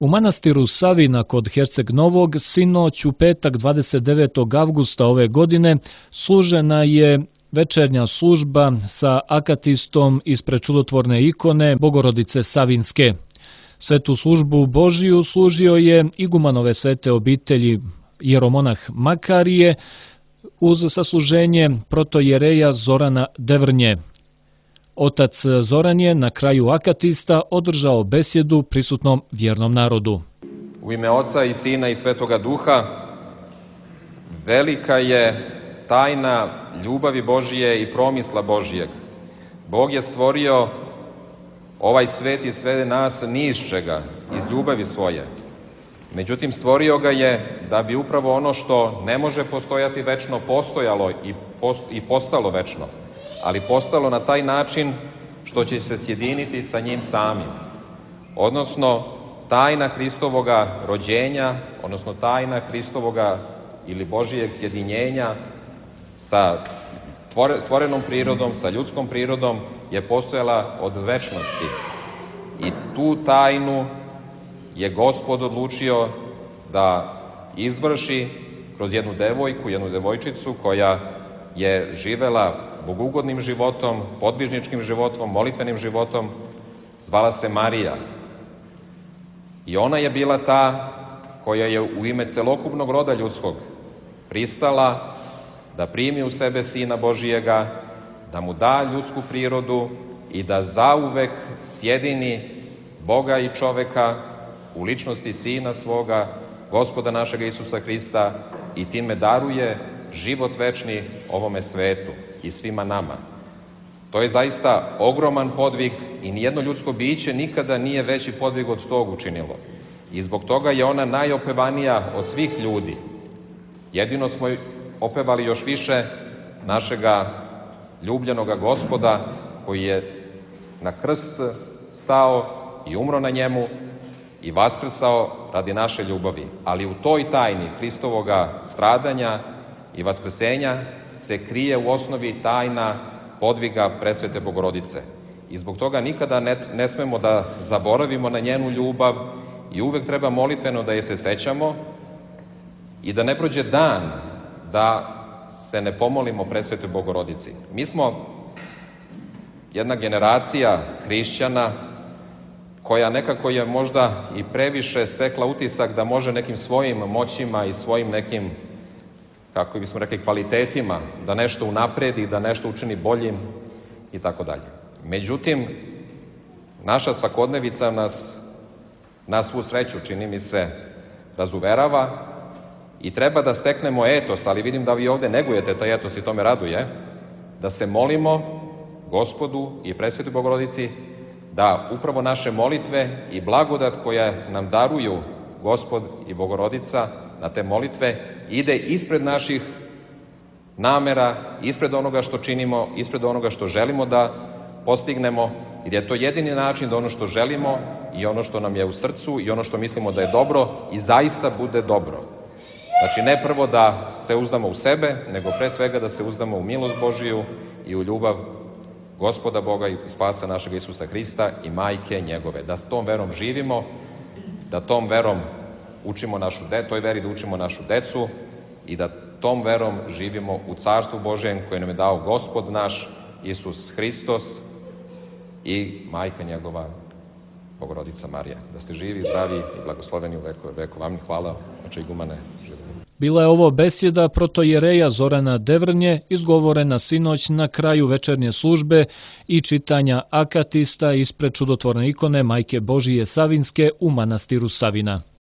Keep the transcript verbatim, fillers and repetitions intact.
U manastiru Savina kod Herceg Novog sinoć u petak dvadeset devetog avgusta ove godine služena je večernja služba sa akatistom ispred čudotvorne ikone Bogorodice Savinske. Svetu službu Božiju služio je igumanove svete obitelji jeromonah Makarije uz sasluženje protojereja Zorana Devrnje. Otac Zoran je na kraju akatista održao besjedu prisutnom vjernom narodu. U ime Oca i Sina i Svetoga Duha, velika je tajna ljubavi Božije i promisla Božijeg. Bog je stvorio ovaj svet i sve nas ni iz čega, iz ljubavi svoje. Međutim, stvorio ga je da bi upravo ono što ne može postojati večno postojalo i, post, i postalo večno, ali postalo na taj način što će se sjediniti sa njim samim. Odnosno, tajna Hristovoga rođenja, odnosno tajna Hristovoga ili Božijeg sjedinjenja sa stvorenom prirodom, sa ljudskom prirodom je postojala od večnosti. I tu tajnu je Gospod odlučio da izvrši kroz jednu devojku, jednu devojčicu koja je živela bogugodnim životom, podvižničkim životom, molitvenim životom, zvala se Marija. I ona je bila ta koja je u ime celokupnog roda ljudskog pristala da primi u sebe Sina Božijega, da mu da ljudsku prirodu i da zauvek sjedini Boga i čoveka u ličnosti Sina svoga, Gospoda našega Isusa Hrista, i time daruje život večni ovome svetu i svima nama. To je zaista ogroman podvig i nijedno ljudsko biće nikada nije veći podvig od tog učinilo. I zbog toga je ona najopevanija od svih ljudi. Jedino smo opevali još više našega ljubljenoga Gospoda koji je na krst stao i umro na njemu i vaskrsao radi naše ljubavi. Ali u toj tajni Hristovoga stradanja i vaskrsenja se krije u osnovi tajna podviga presvete Bogorodice. I zbog toga nikada ne, ne smemo da zaboravimo na njenu ljubav i uvek treba molitveno da je se sećamo i da ne prođe dan da se ne pomolimo presvetoj Bogorodici. Mi smo jedna generacija hrišćana koja nekako je možda i previše stekla utisak da može nekim svojim moćima i svojim nekim, kako bismo rekli, kvalitetima da nešto unapredi, da nešto učini boljim i tako dalje. Međutim, naša svakodnevica nas, na svu sreću, čini mi se, razuverava i treba da steknemo etos, ali vidim da vi ovde negujete taj etos i to me raduje, da se molimo Gospodu i presvetoj Bogorodici da upravo naše molitve i blagodat koja nam daruju Gospod i Bogorodica na te molitve ide ispred naših namera, ispred onoga što činimo, ispred onoga što želimo da postignemo, jer je to jedini način da ono što želimo i ono što nam je u srcu i ono što mislimo da je dobro i zaista bude dobro. Znači, ne prvo da se uzdamo u sebe, nego pre svega da se uzdamo u milost Božiju i u ljubav Gospoda Boga i Spasa našega Isusa Hrista i majke njegove. Da s tom verom živimo, da tom verom učimo našu decu, toj veri da učimo našu decu i da tom verom živimo u Carstvu Božjem koje nam je dao Gospod naš Isus Hristos i majka njegova Bogorodica Marija. Da ste živi, zdravi i blagosloveni u veku veku. Vam hvala, oče igumane. Bila je ovo besjeda protojereja Zorana Devrnje, izgovorena sinoć na kraju večernje službe i čitanja akatista ispred čudotvorne ikone Majke Božije Savinske u manastiru Savina.